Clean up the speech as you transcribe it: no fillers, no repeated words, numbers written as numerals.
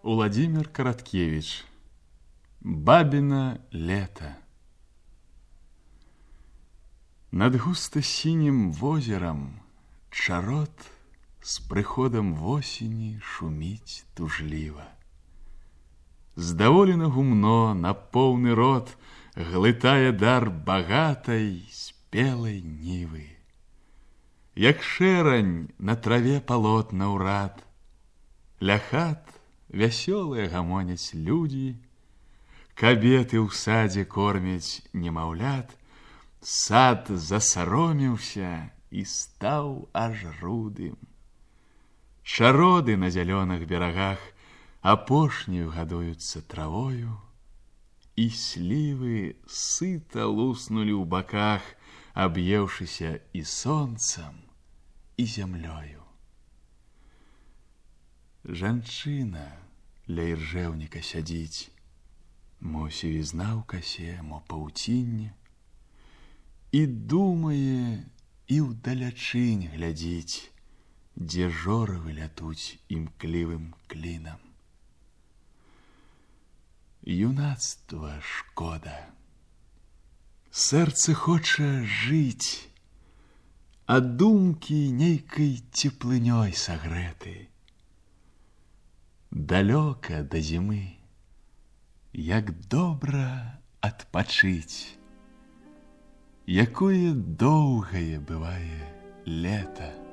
Владимир Короткевич. Бабино лето. Над густа-синим возером чарот с приходом восени шумить тужлива. Здаволена гумно на поўны рот глытае дар багатай спелай нівы. Як шэрань на траве палотна ўрад, ля хат вясёлыя гамоняць людзі, кабеты ў садзе кормяць немаўлят, сад засаромеўся і стаў аж рудым. Чароды на зялёных берагах апошнюю гадуюцца травою, і слівы сыта луснулі ў баках, аб'еўшыся і сонцам, і зямлёю. Жанчына ля іржэўніка сядзіць, мо сівізна ў касе, мо паўцінне, і думае, і ўдалячынь глядзіць, дзе жоравы лятуць імклівым клінам. Юнацтва шкода. Сэрца хоча жыць, а думкі нейкай цеплынёй сагрэты. Далёка да зімы, як добра адпачыць, якое доўгае бывае лета.